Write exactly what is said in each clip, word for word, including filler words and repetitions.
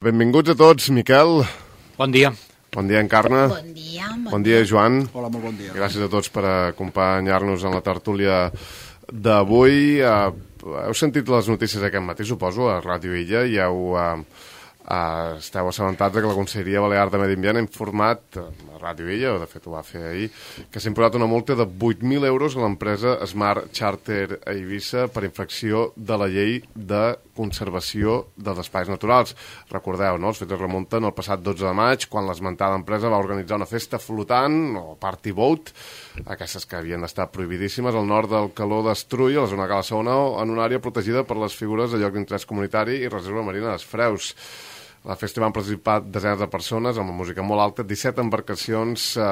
Benvinguts a tots, Miquel. Bon dia. Bon dia, Encarna. Bon dia. Bon, bon dia, Joan. Hola, molt bon dia. Gràcies a tots per acompanyar-nos en la tertúlia d'avui. Uh, heu sentit les notícies aquest matí, suposo, a Ràdio Illa, i heu, uh, uh, esteu assabentats que la Conselleria Balear de Medi Ambient ha informat, uh, a Ràdio Illa, o de fet ho va fer ahir, que s'ha imposat una multa de vuit mil euros a l'empresa Smart Charter a Eivissa per infracció de la llei de conservació dels espais naturals. Recordeu, no? Els fets es remunten el passat dotze de maig, quan l'esmentada empresa va organitzar una festa flotant, o party boat, aquestes que havien d'estar prohibidíssimes, al nord del Caló d'Estrull, a la zona de Cala Saona, en una àrea protegida per les figures de lloc d'interès comunitari i reserva marina dels Freus. A la festa van participar desenes de persones amb música molt alta, disset embarcacions eh,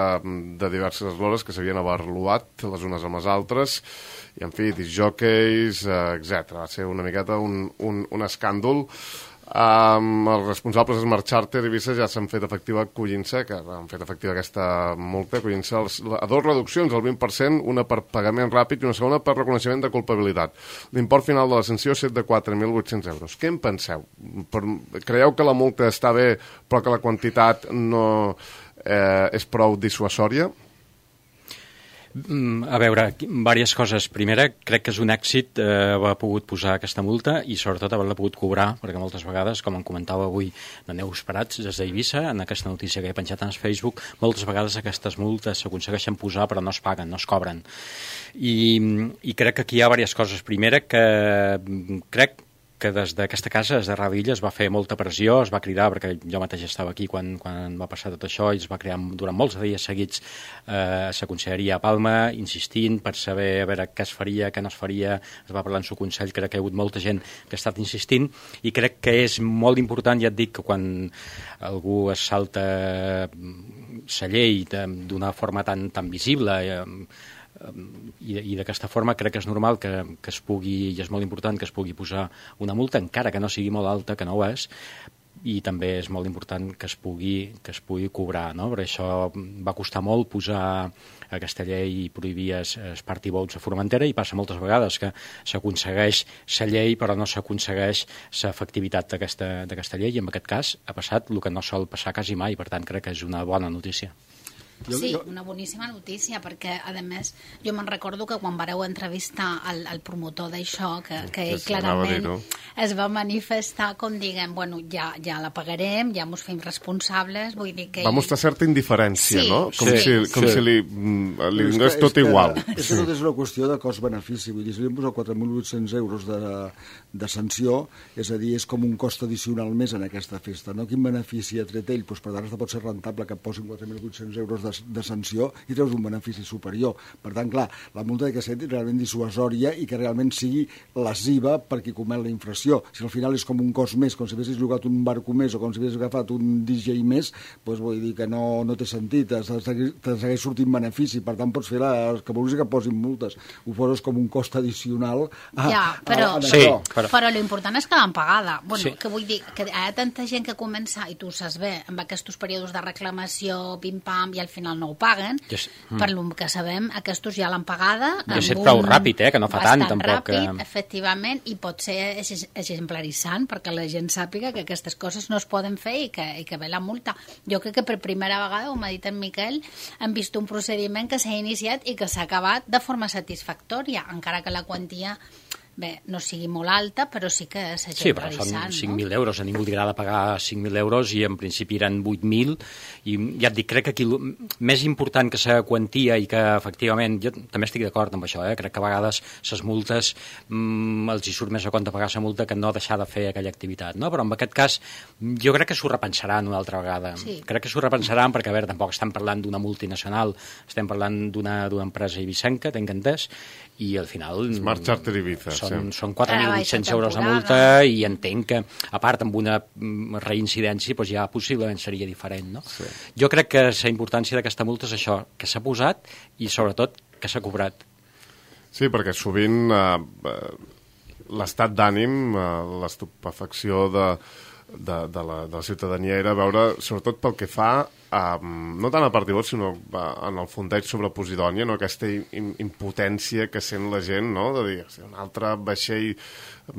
de diverses eslores que s'havien abarluat les unes amb les altres, i en fi, disjòqueis, eh, etcètera. Va ser una miqueta un, un, un escàndol. Um, els responsables de Smart Charter i Eivissa ja s'han fet efectiva acollint-se, que han fet efectiva aquesta multa, acollint-se a dues reduccions, el vint per cent, una per pagament ràpid i una segona per reconeixement de culpabilitat. L'import final de la sanció és de quatre mil vuit-cents euros. Què en penseu? Per, creieu que la multa està bé, però que la quantitat no eh, és prou dissuasòria? A veure, diverses coses. Primera, crec que és un èxit eh, haver pogut posar aquesta multa i sobretot haver-la pogut cobrar, perquè moltes vegades, com em comentava avui la Neus Prats des d'Eivissa, en aquesta notícia que he penjat en Facebook, moltes vegades aquestes multes s'aconsegueixen posar però no es paguen, no es cobren. I, i crec que aquí hi ha diverses coses. Primera, que crec que des d'aquesta casa, des de Ràdio Illa, es va fer molta pressió, es va cridar, perquè jo mateix estava aquí quan, quan va passar tot això, i es va crear durant molts dies seguits eh, la conselleria a Palma, insistint per saber a veure què es faria, què no es faria, es va parlar en el Consell, crec que hi ha hagut molta gent que ha estat insistint, i crec que és molt important, ja et dic, que quan algú es salta la llei d'una forma tan, tan visible, eh, i, i d'aquesta forma crec que és normal que, que es pugui, i és molt important que es pugui posar una multa, encara que no sigui molt alta, que no ho és, i també és molt important que es pugui, que es pugui cobrar, no? Per això va costar molt posar aquesta llei i prohibir els, els party boats a Formentera, i passa moltes vegades que s'aconsegueix la llei però no s'aconsegueix l'efectivitat d'aquesta llei, i en aquest cas ha passat el que no sol passar quasi mai, per tant crec que és una bona notícia. Sí, una boníssima notícia, perquè, a més, jo me'n recordo que quan vareu entrevistar el, el promotor d'això, que, que ell clarament dir, no? es va manifestar com diguem, bueno, ja, ja la pagarem, ja mos fem responsables, vull dir que... Va mostrar certa indiferència, sí, no? Com, sí, si, com sí. si li, li donés tot que, igual. És que tot és una qüestió de cost-benefici, vull dir, si li hem posat quatre mil vuit-cents euros de, de sanció, és a dir, és com un cost addicional més en aquesta festa, no? Quin benefici ha tret ell? Doncs per tant, pot ser rentable que posin quatre mil vuit-cents euros de De, de sanció i treus un benefici superior. Per tant, clar, la multa ha de ser realment dissuasòria i que realment sigui lesiva per qui comet la infracció. Si al final és com un cost més, com si haguessis llogat un barco més o com si haguessis agafat un D J més, doncs vull dir que no, no té sentit, te segueix sortint benefici, per tant pots fer la, que vulguis que posin multes, ho poses com un cost addicional a, ja, però, a, a sí, però, però l'important és que l'han pagada. Bueno, sí. Que vull dir que hi ha tanta gent que comença, i tu ho saps bé, amb aquests períodes de reclamació, pim-pam, i al final no ho paguen, yes. mm. per lo que sabem, aquests ja l'han pagada. I ha estat prou ràpid, eh, que no fa tant, tampoc. Ràpid, que... efectivament, i pot ser exemplaritzant, perquè la gent sàpiga que aquestes coses no es poden fer i que, i que ve la multa. Jo crec que per primera vegada, com ha dit en Miquel, hem vist un procediment que s'ha iniciat i que s'ha acabat de forma satisfactòria, encara que la quantia... Bé, no sigui molt alta, però sí que s'ha sí, però són cinc mil no? euros. A ningú li agrada pagar cinc mil euros i en principi eren vuit mil. I ja et dic, crec que aquí més important que la quantia i que efectivament, jo també estic d'acord amb això, eh? Crec que a vegades les multes mmm, els hi surt més a compte pagar la multa que no deixar de fer aquella activitat, no? Però en aquest cas jo crec que s'ho repensaran una altra vegada. Sí. Crec que s'ho repensaran perquè, a veure, tampoc estem parlant d'una multinacional, estem parlant d'una empresa eivissenca, tenc entès, i al final... Smart Charter Eivissa, són, sí. són quatre mil vuit-cents euros de multa, i entenc que, a part, amb una reincidència, doncs ja possiblement seria diferent, no? Sí. Jo crec que la importància d'aquesta multa és això, que s'ha posat i, sobretot, que s'ha cobrat. Sí, perquè sovint eh, l'estat d'ànim, eh, l'estupefacció de, de, de, la, de la ciutadania era veure, sobretot pel que fa Um, no tant a partir sinó uh, en el fondeig sobre Posidònia, no? Aquesta im impotència que sent la gent, no? De dir, un altre vaixell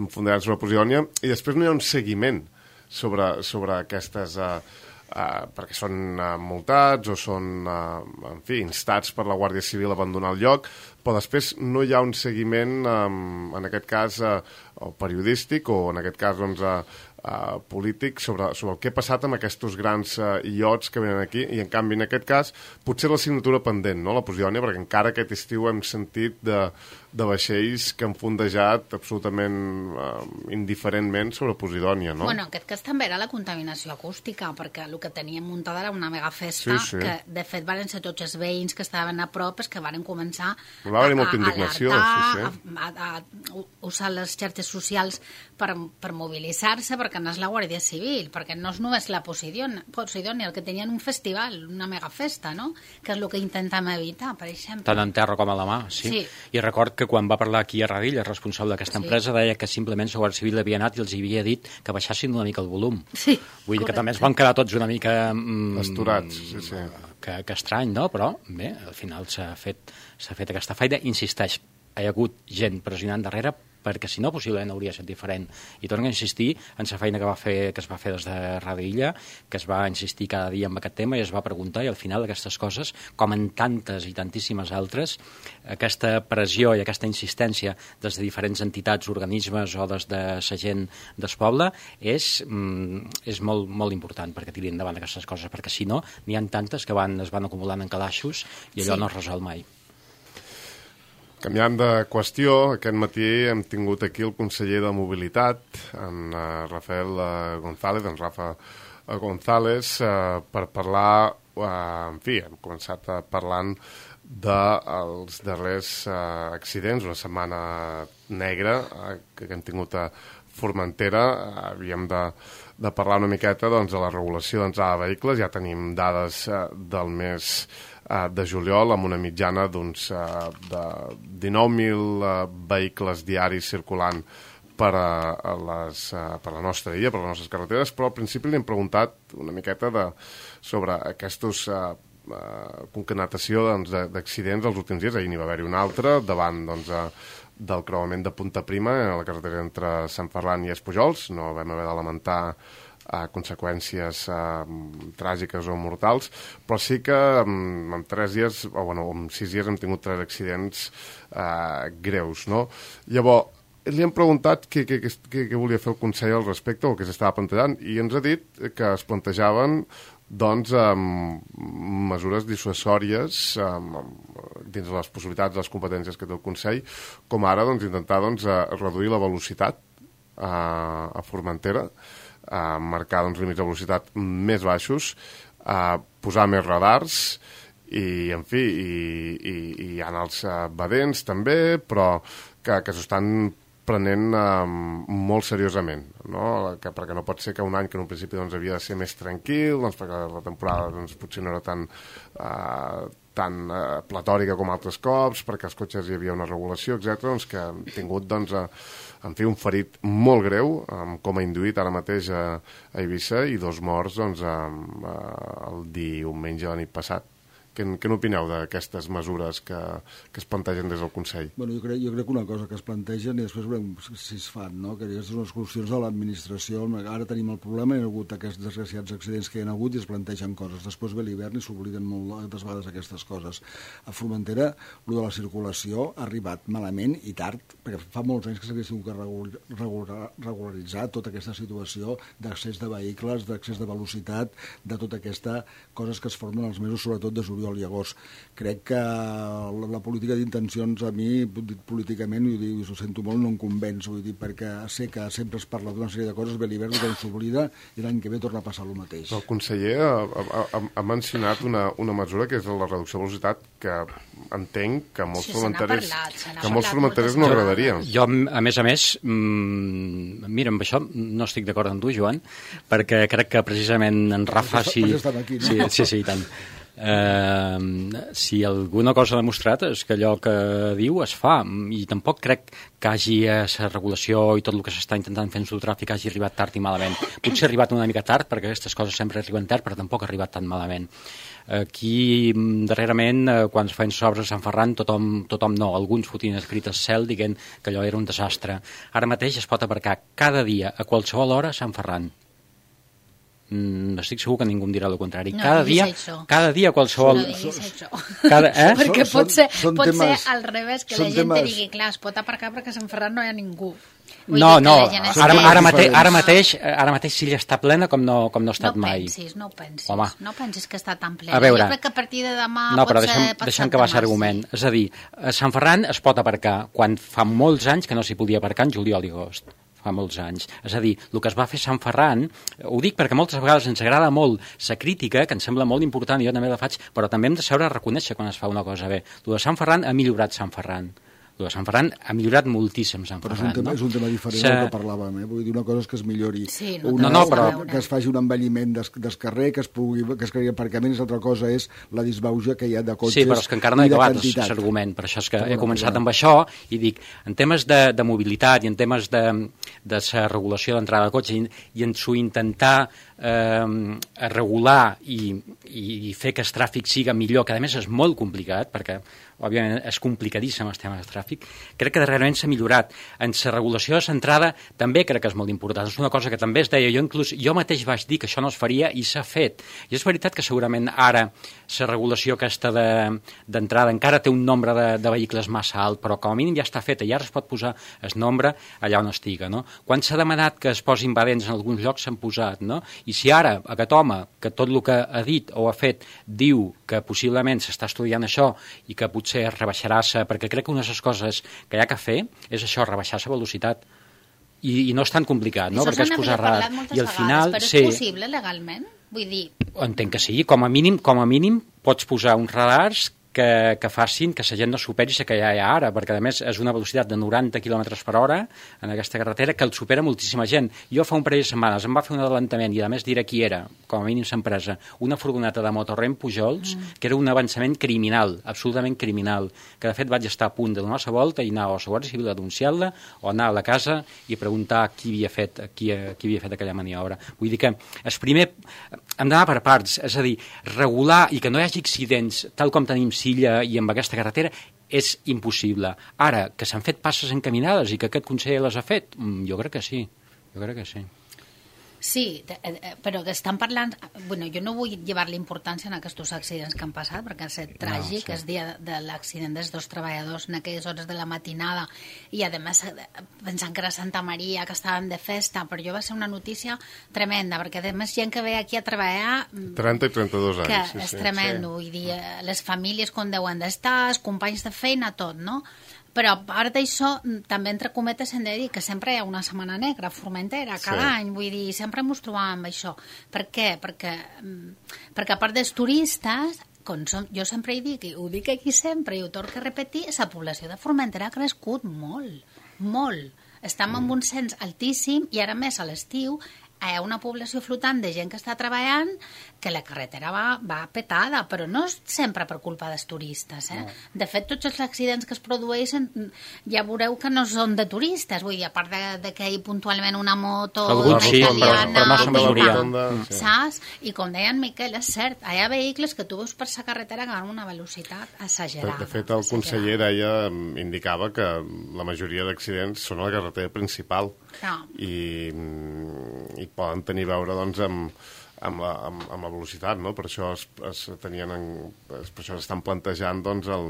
fondeig sobre Posidònia, i després no hi ha un seguiment sobre, sobre aquestes... Uh, Uh, perquè són uh, multats o són, uh, en fi, instats per la Guàrdia Civil a abandonar el lloc, però després no hi ha un seguiment, um, en aquest cas, uh, o periodístic o, en aquest cas, doncs, uh, uh, polític, sobre, sobre el que ha passat amb aquests grans uh, iots que venen aquí, i, en canvi, en aquest cas, potser la signatura pendent, no?, la Posidònia, perquè encara aquest estiu hem sentit de, de vaixells que han fondejat absolutament uh, indiferentment sobre Posidònia, no? Bueno, en aquest cas també era la contaminació acústica, perquè el que teníem muntada era una mega festa, sí, sí. que de fet van ser tots els veïns que estaven a prop, que van començar va haver molta indignació, alertar, sí, sí. A, a, a usar les xarxes socials per, per mobilitzar-se, perquè no és la Guàrdia Civil, perquè no és només la Posidònia, Posidònia, el que tenien un festival, una mega festa, no?, que és el que intentem evitar, per exemple. Tant en terra com a la mà, sí. sí. I record que quan va parlar aquí a Radilla, el responsable d'aquesta sí. empresa, deia que simplement la Guàrdia Civil havia anat i els havia dit que baixassin una mica el volum. Sí, Vull dir correcte. Que també ens van quedar tots una mica... Mm, esturats, sí, sí. Que, que estrany, no? Però, bé, al final s'ha fet, s'ha fet aquesta feina. Insisteix, hi ha hagut gent pressionant darrere perquè si no possiblement hauria estat diferent. I torno a insistir en la feina que, va fer, que es va fer des de Ràdio Illa, que es va insistir cada dia en aquest tema i es va preguntar, i al final aquestes coses, com en tantes i tantíssimes altres, aquesta pressió i aquesta insistència des de diferents entitats, organismes o des de la gent del poble és, mm, és molt, molt important perquè tirin endavant aquestes coses, perquè si no n'hi ha tantes que van, es van acumulant en calaixos i allò sí. no es resol mai. Canviant de qüestió, aquest matí hem tingut aquí el conseller de Mobilitat, en uh, Rafael uh, González, en Rafa uh, González, uh, per parlar, uh, en fi, hem començat uh, parlant dels darrers uh, accidents, una setmana negra uh, que hem tingut a Formentera. Uh, havíem de, de parlar una miqueta doncs, de la regulació d'entrada de vehicles, ja tenim dades uh, del mes de juliol amb una mitjana doncs, de dinou mil vehicles diaris circulant per a, les, per la nostra illa, per les nostres carreteres, però al principi li hem preguntat una miqueta de, sobre aquestos uh, uh, concatenació doncs, d'accidents dels últims dies. Ahir n'hi va haver-hi un altre davant doncs, uh, del creuament de Punta Prima a la carretera entre Sant Ferran i Espujols. No vam haver de lamentar a conseqüències eh, tràgiques o mortals, però sí que en, en tres dies, o bueno, en sis dies hem tingut tres accidents eh, greus, no? Llavors, li hem preguntat què, què, què, què volia fer el Consell al respecte, o què s'estava plantejant, i ens ha dit que es plantejaven doncs, um, mesures dissuasòries um, dins de les possibilitats, de les competències que té el Consell, com ara doncs, intentar doncs, reduir la velocitat uh, a Formentera, Uh, marcar doncs, límits de velocitat més baixos, uh, posar més radars i, en fi, i, i, i hi ha els uh, badents també, però que, que s'ho estan prenent uh, molt seriosament, no? Que, perquè no pot ser que un any que en un principi doncs, havia de ser més tranquil, doncs, perquè la temporada doncs, potser no era tan, uh, tan uh, platòrica com altres cops, perquè els cotxes hi havia una regulació, etcètera, doncs, que han tingut doncs, uh, en fi, un ferit molt greu, um, com ha induït ara mateix a, a Eivissa, i dos morts doncs, um, uh, el diumenge de la nit passat. Què, què n'opineu d'aquestes mesures que, que es plantegen des del Consell? Bueno, jo, crec, jo crec que una cosa que es plantegen i després veurem si es fan, no? Que aquestes són les solucions de l'administració. Ara tenim el problema, hi ha hagut aquests desgraciats accidents que hi ha hagut i es plantegen coses. Després ve l'hivern i s'obliden moltes vegades aquestes coses. A Formentera, el de la circulació ha arribat malament i tard, perquè fa molts anys que s'hauria tingut que regular, regularitzar tota aquesta situació d'accés de vehicles, d'accés de velocitat, de tota aquesta coses que es formen als mesos, sobretot de juliol i agost. Crec que la, la política d'intencions a mi, políticament, i ho, dic, ho sento molt, no em convenç, vull dir, perquè sé que sempre es parla d'una sèrie de coses, ve l'hivern, tothom s'oblida, i l'any que ve torna a passar el mateix. El conseller ha, ha, ha mencionat una, una mesura que és la reducció de velocitat, que entenc que molts sí, formenterers parlat, que molts formenterers no agradaria. Jo, a més a més, mmm, mira, amb això no estic d'acord amb tu, Joan, perquè crec que precisament en Rafa... Sí, aquí, no? sí, sí, sí, i tant. Uh, si alguna cosa ha demostrat és que allò que diu es fa, i tampoc crec que hagi la regulació i tot el que s'està intentant fer en el tràfic hagi arribat tard i malament. Potser ha arribat una mica tard, perquè aquestes coses sempre arriben tard, però tampoc ha arribat tan malament. Aquí, darrerament, quan es feien obres a Sant Ferran, tothom, tothom no, alguns fotien escrit al cel dient que allò era un desastre. Ara mateix es pot aparcar cada dia, a qualsevol hora, a Sant Ferran. Mm, estic segur que ningú em dirà el contrari. No, cada, dia, cada dia qualsevol... No diguis això. Cada, eh? Perquè Són- pot ser, són pot temes- ser al revés, que són la gent temes- te digui, clar, es pot aparcar perquè a Sant Ferran no hi ha ningú. Vull No, dir que no, la gent ara, estigui- ara, mateix, ara, No. mateix, ara mateix Silla està plena com no, com no ha estat no mai. pensis, no ho pensis. Home. No pensis que està tan plena. A veure, jo crec que a partir de demà no, pot però ser deixa'm, passat deixa'm que va demà, ser argument. sí. És a dir, a Sant Ferran es pot aparcar quan fa molts anys que no s'hi podia aparcar en juliol i agost. Fa molts anys. És a dir, el que es va fer a Sant Ferran, ho dic perquè moltes vegades ens agrada molt la crítica, que em sembla molt important, i jo també la faig, però també hem de saber reconèixer quan es fa una cosa bé. El de Sant Ferran ha millorat Sant Ferran. El de Sant Ferran ha millorat moltíssim Sant Però és Ferran. un, tema, no? és un tema diferent Se... del que parlàvem, eh? Vull dir, una cosa és que es millori, Sí, no una, té res a que- veure. que es faci un envelliment des, des carrer, que es, pugui, que es creï aparcaments, l'altra cosa és la disbauja que hi ha de cotxes Sí, però és que encara no he i de acabat quantitat. l'argument, per això és que Però he bueno, començat però- amb això i dic, en temes de, de mobilitat i en temes de, de la regulació d'entrada de cotxe i, i en su intentar eh, regular i, i fer que el tràfic siga millor, que a més és molt complicat, perquè òbviament és complicadíssim el tema del tràfic, crec que darrerament s'ha millorat. En la regulació de l'entrada també crec que és molt important. És una cosa que també es deia, jo inclús jo mateix vaig dir que això no es faria i s'ha fet. I és veritat que segurament ara la regulació aquesta d'entrada de, encara té un nombre de, de vehicles massa alt, però com a mínim ja està feta i ara es pot posar el nombre allà on estiga. No? Quan s'ha demanat que es posin badents en alguns llocs s'han posat, no? I si ara aquest home, que tot el que ha dit o ha fet, diu que possiblement s'està estudiant això i que potser rebaixarà-se, perquè crec que una de les coses que hi ha que fer és això, rebaixar la velocitat. I, i no és tan complicat, no? Perquè és posar radar. I al final, però és sí, possible legalment? Vull dir, entenc que sí, com a mínim, com a mínim pots posar uns radars que, que facin que la gent no superi la que ja hi ha ara, perquè a més és una velocitat de noranta quilòmetres per hora en aquesta carretera que el supera moltíssima gent. Jo fa un parell de setmanes em va fer un adelantament i a més diré qui era, com a mínim s'empresa, una furgoneta de Motorrem Pujols, mm. que era un avançament criminal, absolutament criminal, que de fet vaig estar a punt de donar la volta i anar a la Guàrdia Civil a denunciar-la o anar a la casa i preguntar qui havia fet, qui, qui havia fet aquella maniobra. Vull dir que el primer hem d'anar per parts, és a dir, regular i que no hi hagi accidents tal com tenim Silla i amb aquesta carretera és impossible. Ara, que s'han fet passes encaminades i que aquest conseller les ha fet, jo crec que sí, jo crec que sí. sí, però que estan parlant... Bueno, jo no vull llevar-li importància en aquests accidents que han passat, perquè ha estat tràgic, no, sí. El dia de l'accident dels dos treballadors en aquelles hores de la matinada, i a més pensant que era Santa Maria, que estàvem de festa, però jo va ser una notícia tremenda, perquè a més gent que ve aquí a treballar... trenta i trenta-dos anys. Que sí, és sí, tremendo, sí. vull dir, les famílies com deuen d'estar, els companys de feina, tot, no? Però a part d'això, també entre cometes hem de dir que sempre hi ha una setmana negra a Formentera, cada sí. any, vull dir, sempre ens trobàvem amb això. Per què? Perquè, perquè a part dels turistes, com som, jo sempre hi dic, i ho dic aquí sempre, i ho torno a repetir, la població de Formentera ha crescut molt, molt. Estem en un cens altíssim i ara més a l'estiu hi ha una població flotant de gent que està treballant que la carretera va, va petada, però no és sempre per culpa dels turistes. Eh? No. De fet, tots els accidents que es produeixen ja veureu que no són de turistes, vull dir, a part de, de que hi puntualment una moto Alguns sí, italiana, però no són i majoria. tal, saps? I com deia en Miquel, és cert, hi ha vehicles que tu veus per la carretera que van a una velocitat exagerada. De fet, el conseller deia, indicava que la majoria d'accidents són a la carretera principal no. i, i poden tenir a veure doncs, amb, amb, la, amb, amb la velocitat, no? Per això es, es tenien en, es, per això estan plantejant doncs, el,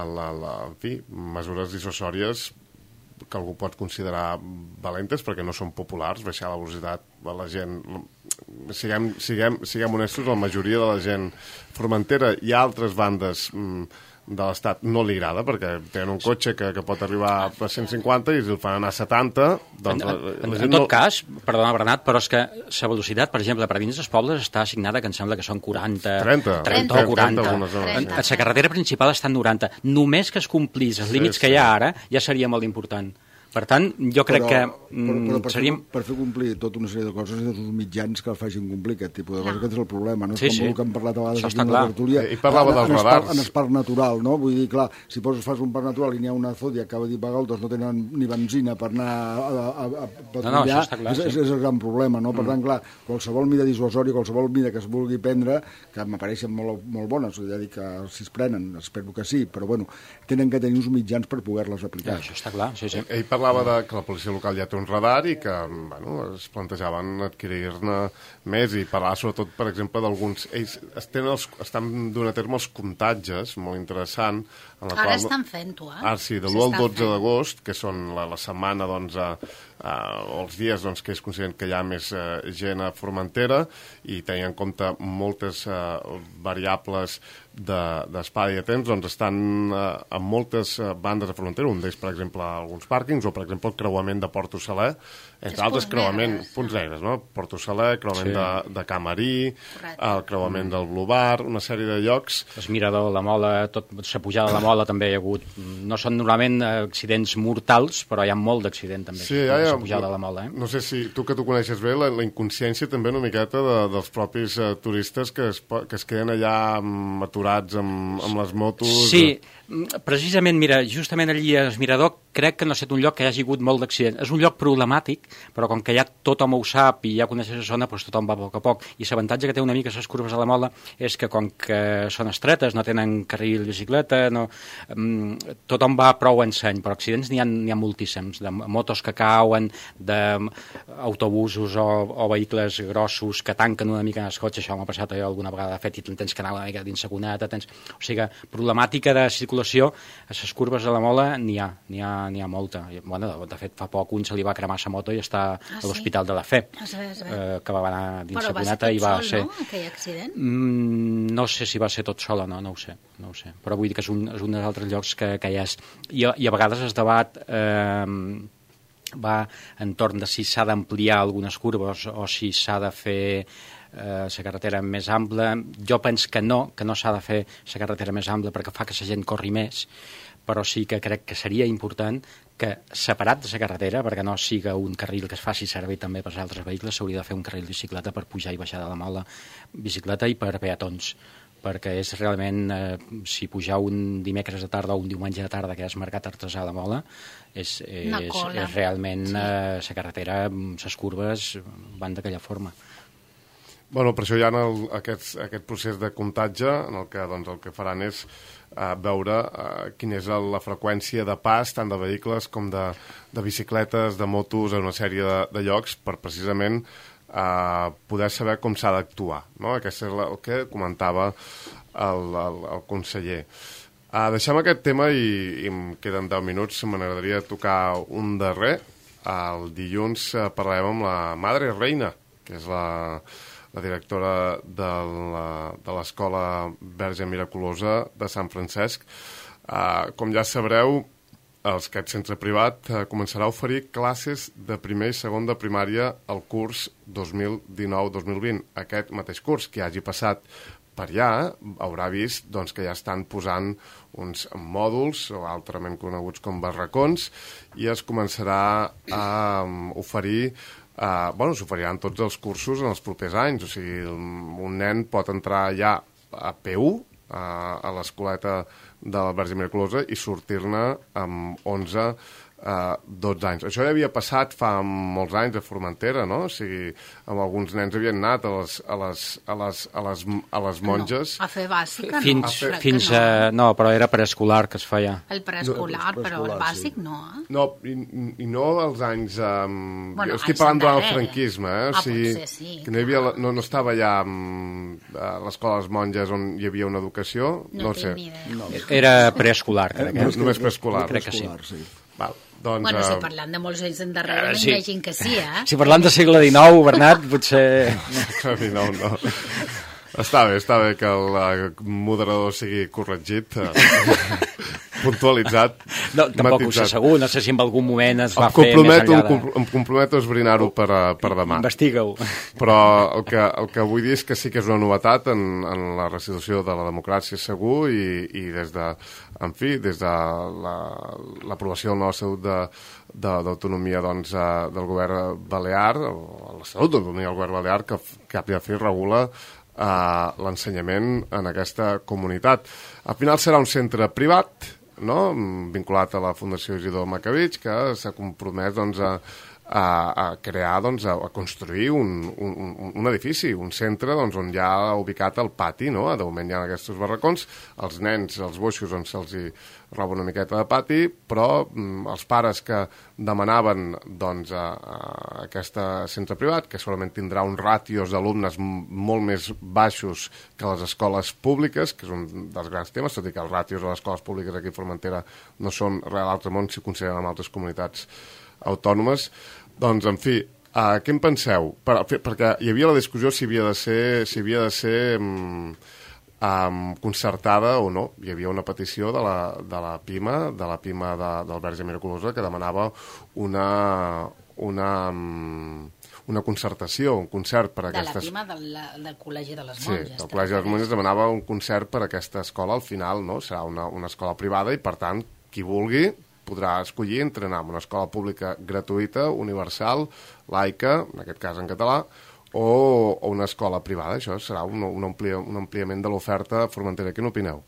el, el, en fi, mesures dissuasòries que algú pot considerar valentes perquè no són populars, baixar la velocitat a la gent. Siguem, siguem, siguem honestos, la majoria de la gent formentera i altres bandes mm, de l'Estat no li agrada perquè tenen un cotxe que, que pot arribar a cent cinquanta i si el fan anar a setanta doncs en, la, en, la en tot no... cas, perdona Bernat, però és que la velocitat, per exemple, per dins dels pobles està assignada que em sembla que són quaranta, trenta, trenta o quaranta. trenta. La carretera principal està en noranta. Només que es complís els límits sí, que sí. hi ha ara ja seria molt important. Per tant, jo crec però, que però, però per, seríem... fer, per fer complir tota una sèrie de coses i dels mitjans que el facin complir aquest tipus de coses, No. aquest és el problema, no? Sí, És com sí. el que hem parlat a vegades Això aquí està en la clar. tertúlia. I parlava en, dels en el radars. parc- En el parc natural, no? Vull dir, clar, si poses, fas un parc natural i n'hi ha una zona i acaba d'hipagar, doncs no tenen ni benzina per anar a, a, a, a patrullar, No, no, això està clar, és, sí. és, és el gran problema, no? Per tant, clar, qualsevol mida dissuasòria, qualsevol mida que es vulgui prendre, que m'apareixen molt, molt bones, ja dic que si es prenen, espero que sí, però bueno, tenen que tenir uns mitjans per poder-les aplicar. Això està clar, sí, sí. Ell parlava parlava de que la policia local ja té un radar i que, bueno, es plantejaven adquirir-ne més i parlar sobretot, per exemple, d'alguns... Ells estan, els, estan donant a terme els comptatges, molt interessant. En la Ara qual... estan fent-ho, eh? Ah, sí, de l'u al dotze d'agost, que són la, la setmana, doncs, a, a, o els dies doncs, que es consideren que hi ha més uh, gent a Formentera i tenint en compte moltes uh, variables d'espai de, i de temps, doncs estan uh, en moltes uh, bandes de Formentera, un d'ells, per exemple, alguns pàrquings, o, per exemple, el creuament de Porto Saler, entre és altres creuament, negres, punts negres, no? Porto Saler, creuament Sí. de, de Camarí, Correcte. el creuament mm. del Blue Bar, una sèrie de llocs. El mirador, la mola, tot, la pujada de la mola també hi ha hagut. No són normalment accidents mortals, però hi ha molt d'accident també. Sí, ja, ja, la pujada de la mola, eh? No sé si tu que tu coneixes bé, la, la inconsciència també una miqueta de, dels propis uh, turistes que es, po- que es queden allà um, aturats amb, amb les motos. Sí, precisament, mira, justament allí a Mirador crec que no ha estat un lloc que hi hagi hagut molt d'accident. És un lloc problemàtic, però com que ja tothom ho sap i ja coneixes la zona, doncs tothom va a poc a poc. I l'avantatge que té una mica les curves de la Mola és que com que són estretes, no tenen carril bicicleta, no, um, tothom va prou en seny, però accidents n'hi ha, n'hi ha moltíssims, de motos que cauen, d'autobusos o, o vehicles grossos que tanquen una mica en el cotxe, això m'ha passat jo alguna vegada, de fet, i tens que anar una mica dins la cuneta, tens... O sigui, problemàtica de circulació a les curves de la Mola n'hi ha, n'hi ha n'hi ha molta. Bueno, de, de fet, fa poc un se li va cremar la moto i està Ah, a sí? l'Hospital de la Fe, Es ve, es ve. eh, que va anar dins Però la va ser cuneta tot i va sol, ser... no?, aquell accident? Mm, no sé si va ser tot sol o no, no ho sé, no ho sé. Però vull dir que és un, és un dels altres llocs que, que hi és. I, a- I a vegades es debat eh, va entorn de si s'ha d'ampliar algunes curves o si s'ha de fer eh, la carretera més ampla. Jo penso que no, que no s'ha de fer la carretera més ampla perquè fa que la gent corri més, però sí que crec que seria important que, separat de la carretera, perquè no siga un carril que es faci servir també per als altres vehicles, s'hauria de fer un carril de bicicleta per pujar i baixar de la Mola, bicicleta i per peatons, perquè és realment, eh, si pujar un dimecres de tarda o un diumenge de tarda que és mercat artesà a la Mola, és, Una és, cola. és realment Sí. eh, la carretera, les curves van d'aquella forma. Bueno, per això hi ha el, aquest, aquest procés de comptatge en el que doncs, el que faran és uh, veure uh, quina és el, la freqüència de pas tant de vehicles com de, de bicicletes, de motos, en una sèrie de, de llocs per precisament uh, poder saber com s'ha d'actuar, no? Aquest és la, el que comentava el, el, el conseller. Uh, deixem aquest tema i, i em queden deu minuts, m'agradaria tocar un darrer. El dilluns uh, parlarem amb la Madre Reina, que és la... la directora de la- de l'Escola Verge Miraculosa de Sant Francesc. Uh, com ja sabreu, els, aquest centre privat uh, començarà a oferir classes de primer i segon de primària al curs dos mil dinou dos mil vint. Aquest mateix curs, que hagi passat per allà, haurà vist doncs, que ja estan posant uns mòduls, o altrament coneguts com barracons, i es començarà a um, oferir Uh, bueno, s'oferiran tots els cursos en els propers anys, o sigui, un nen pot entrar ja a P u, uh, a l'escoleta de la Verge Miraculosa, i sortir-ne amb onze, uh, dotze anys. Això ja havia passat fa molts anys a Formentera, no? O sigui, amb alguns nens havien anat a les, a les, a les, a les, a les monges. No, a fer bàsica no. Fins, crec que fins no. a... No, però era preescolar que es feia. El preescolar, No, el però el preescolar, bàsic sí. no, eh? No, i, i no als anys... Um, Bueno, jo estic anys parlant durant el endarrere. franquisme, eh? O Ah, sigui, potser sí, que no, hi havia, la- no, no estava ja um, a l'escola de les monges on hi havia una educació, No, no, ho sé. tinc ni idea. No, Era preescolar, crec. No, Eh? només preescolar. Crec que sí. sí. Val, doncs, Bueno, si eh, parlant de molts anys endarrere, Eh, uh, sí. m'imagino que sí, eh? Si parlant de segle dinou, Bernat, potser... no, no. Està bé, està bé que el eh, moderador sigui corregit, eh, puntualitzat, No, tampoc ho sé matisat. segur, no sé si en algun moment es va Em fer més comprometo, enllà em de... compro- em comprometo a esbrinar-ho per, a- per demà. Investiga-ho. Però el que, el que vull dir és que sí que és una novetat en, en la restitució de la democràcia segur i, i des de, en fi, des de la- l'aprovació del nou Estatut de, de, d'autonomia doncs, eh, del govern balear, o l'Estatut d'autonomia del govern balear, que, f- que a fi regula eh, l'ensenyament en aquesta comunitat. Al final serà un centre privat, no?, vinculat a la Fundació Isidor Macavich, que s'ha compromès doncs, a, a, a crear, doncs, a, a construir un, un, un edifici, un centre doncs, on hi ha ubicat el pati, no? De moment hi ha aquests barracons, els nens, els boixos, on se'ls hi roba una miqueta de pati, però mm, els pares que demanaven doncs, a, a aquest centre privat, que solament tindrà uns ràtios d'alumnes molt més baixos que les escoles públiques, que és un dels grans temes, tot i que els ràtios de les escoles públiques aquí a Formentera no són real altre món si consideren amb altres comunitats autònomes. Doncs, en fi, uh, què en penseu? Per, perquè hi havia la discussió si havia de ser, si havia de ser um, um, concertada o no. Hi havia una petició de la, de la PIMA, de la PIMA de, del Verge Miraculosa, que demanava una... una um, una concertació, un concert per a aquestes... De la PIMA del, del Col·legi de les Sí, Monges. el Col·legi de les Monges demanava un concert per a aquesta escola, al final, no? Serà una, una escola privada i, per tant, qui vulgui podrà escollir entre anar a una escola pública gratuïta, universal, laica, en aquest cas en català, o, o una escola privada. Això serà un, un, amplia, un ampliament de l'oferta formentera. Què n'opineu?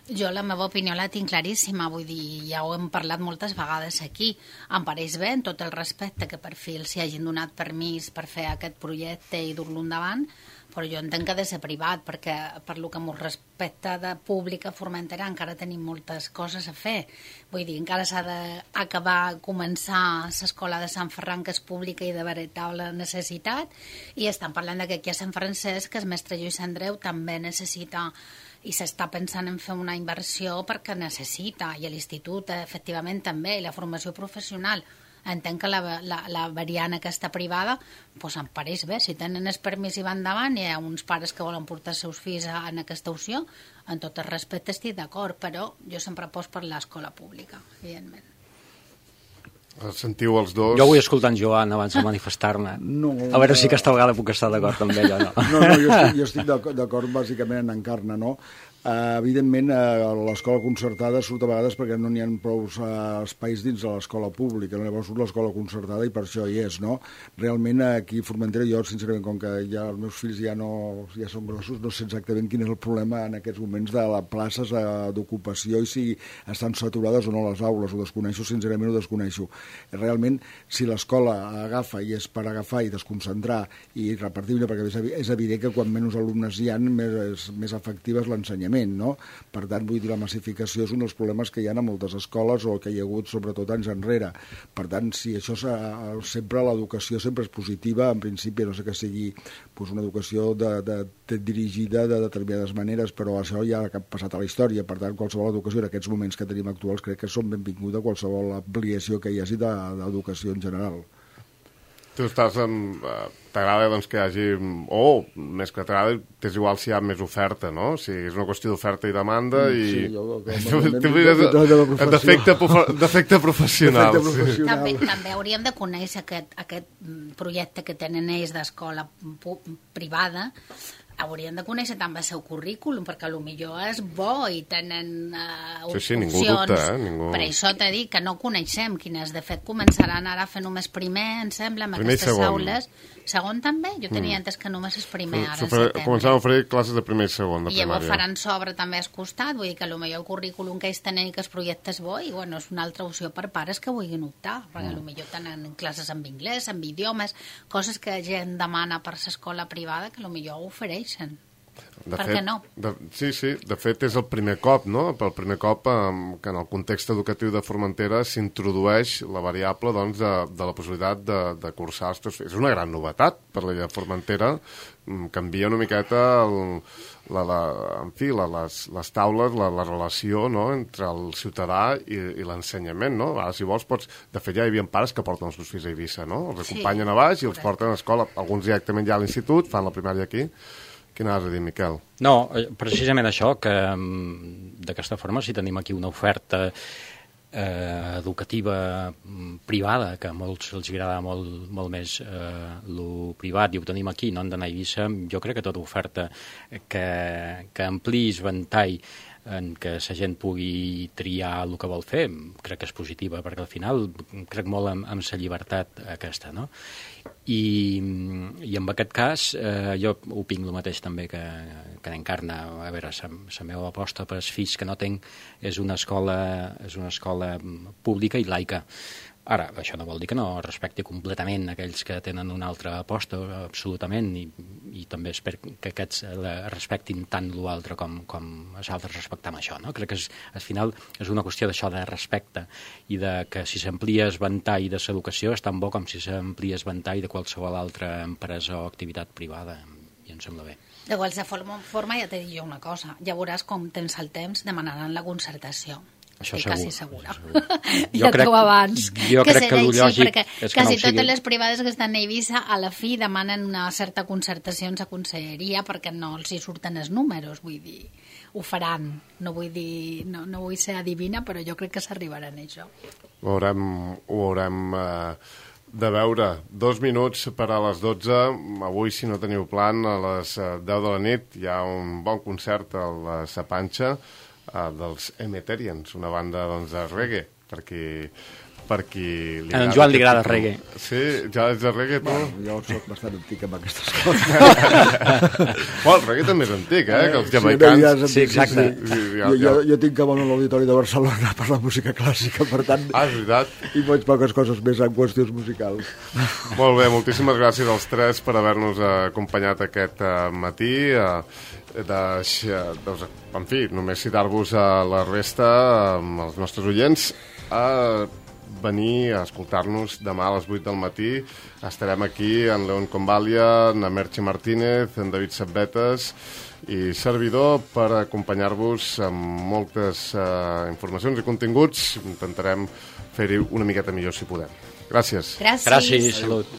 Jo la meva opinió la tinc claríssima, vull dir, ja ho hem parlat moltes vegades aquí. Em pareix bé, en tot el respecte, que per fi els hi hagin donat permís per fer aquest projecte i dur-lo endavant, però jo entenc que ha de ser privat, perquè per lo que m'ho respecta de públic a Formentera encara tenim moltes coses a fer. Vull dir, encara s'ha d'acabar, començar l'escola de Sant Ferran, que és pública i de veritable necessitat, i estan parlant de que aquí a Sant Francesc, que el mestre Lluís Andreu també necessita, i s'està pensant en fer una inversió perquè necessita, i l'institut efectivament també, i la formació professional. Entenc que la, la, la variant aquesta privada pues em pareix bé, si tenen el permís i van endavant, hi ha uns pares que volen portar els seus fills a, en aquesta opció, en tot el respecte estic d'acord, però jo sempre poso per l'escola pública, evidentment. Sentiu els dos? Jo vull escoltar en Joan abans de manifestar-ne. No, a veure si aquesta vegada puc estar d'acord amb ell o no. No, no, jo estic, jo estic d'acord bàsicament en Encarna, no? Uh, evidentment, uh, l'escola concertada surt a vegades perquè no n'hi ha prou uh, espais dins de l'escola pública, llavors surt l'escola concertada i per això hi és, no? Realment, aquí a Formentera, jo, sincerament, com que ja els meus fills ja no ja són grossos, no sé exactament quin és el problema en aquests moments de les places uh, d'ocupació i si estan saturades o no les aules, ho desconeixo, sincerament ho desconeixo. Realment, si l'escola agafa i és per agafar i desconcentrar i repartir, perquè és evident que quan menys alumnes hi ha, més, més efectiva és l'ensenyament, no? Per tant, vull dir, la massificació és un dels problemes que hi ha a moltes escoles o que hi ha hagut sobretot anys enrere. Per tant, si això sempre l'educació sempre és positiva, en principi, no sé que sigui pues, una educació de, de, de dirigida de determinades maneres, però això ja ha passat a la història. Per tant, qualsevol educació en aquests moments que tenim actuals crec que són benvinguda qualsevol ampliació que hi hagi d'educació en general. Tu estàs amb... T'agrada doncs, que hi hagi... O, més que t'agrada, t'és igual si hi ha més oferta, no? O sigui, és una qüestió d'oferta i demanda i... Sí, jo... Defecte professional. També, també hauríem de conèixer aquest, aquest projecte que tenen ells d'escola privada, haurien de conèixer també el seu currículum, perquè potser és bo i tenen uh, sí, sí, opcions. Ningú dubta, eh? Ningú... Per això t'he dit que no coneixem quines. De fet, començaran ara a fer només primer, em sembla, amb primer aquestes aules. Segon també? Jo tenia mm. entès que només és primer, ara en setembre. Començaran a oferir classes de primer i segon, de I llavors primària. faran sobre també al costat, vull dir que potser el currículum que ells tenen i que el projecte és bo, i bueno, és una altra opció per pares que vulguin optar, perquè mm. potser tenen classes en anglès, en idiomes, coses que gent demana per l'escola privada que potser ho ofereixen. De per fet, què no? De, sí, sí, de fet és el primer cop, no? El primer cop eh, que en el context educatiu de Formentera s'introdueix la variable doncs, de, de la possibilitat de, de cursar els teus fills. És una gran novetat per la de Formentera, canvia una miqueta el, la, la, en fi, la, les, les taules, la, la relació no? Entre el ciutadà i, i l'ensenyament, no? Ara, si vols, pots... De fet, ja hi havia pares que porten els seus fills a Eivissa, no? Els acompanyen sí, a baix i els porten a l'escola. Alguns directament ja a l'institut, fan la primària aquí. Què anaves a dir, Miquel? No, precisament això, que d'aquesta forma si tenim aquí una oferta eh, educativa privada, que a molts els agrada molt, molt més eh, lo privat, i ho tenim aquí, no han d'anar a Eivissa, jo crec que tota oferta que, que ampliïs ventall en què la gent pugui triar el que vol fer, crec que és positiva, perquè al final crec molt en, en la llibertat aquesta, no? I, i en aquest cas eh, jo opinc el mateix també que, que n'Encarna. A veure, la meva aposta per als fills que no tinc és una escola, és una escola pública i laica. Ara, això no vol dir que no respecti completament aquells que tenen una altra aposta, absolutament, i, i també espero que aquests respectin tant l'altre com, com els altres respectam això, no? Crec que és, al final és una qüestió d'això, de respecte, i de que si s'amplia el ventall de l'educació és tan bo com si s'amplia el ventall de qualsevol altra empresa o activitat privada, i em sembla bé. De qualsevol forma, ja t'he dit jo una cosa, ja veuràs com tens el temps, demanaran la concertació. Això Estic segur, quasi segura. Jo ja crec, t'ho abans. jo que crec que el lògic perquè és que quasi no ho sigui. totes les privades que estan a Eivissa a la fi demanen una certa concertació en la conselleria perquè no els hi surten els números, vull dir, ho faran. No vull dir, no, no vull ser adivina, però jo crec que s'arribaran a això. Ho haurem, ho haurem eh, de veure. Dos minuts per a les dotze. Avui, si no teniu plan, a les deu de la nit hi ha un bon concert a la Sapanxa, Uh, dels Emeterians, una banda doncs, de reggae, perquè per qui li a en Joan li agrada el tipus... reggae. Sí, ja ets de reggae, tu? Bueno, jo soc bastant antic amb aquestes coses. Bueno, el reggae també és antic, eh? Que els jamaicans... Sí, no, sí, exacte. Sí, sí, ja, jo, ja... jo, jo tinc cabal a l'Auditori de Barcelona per la música clàssica, per tant... Ah, és veritat. I faig poques coses més en qüestions musicals. Molt bé, moltíssimes gràcies als tres per haver-nos acompanyat aquest uh, matí. Uh, de, doncs, en fi, només citar-vos a la resta, amb els nostres oients, a venir a escoltar-nos demà a les vuit del matí. Estarem aquí en León Convalia, en Merche Martínez, en David Sabbetes i servidor per acompanyar-vos amb moltes uh, informacions i continguts. Intentarem fer-hi una miqueta millor si podem. Gràcies. Gràcies. Gràcies, salut.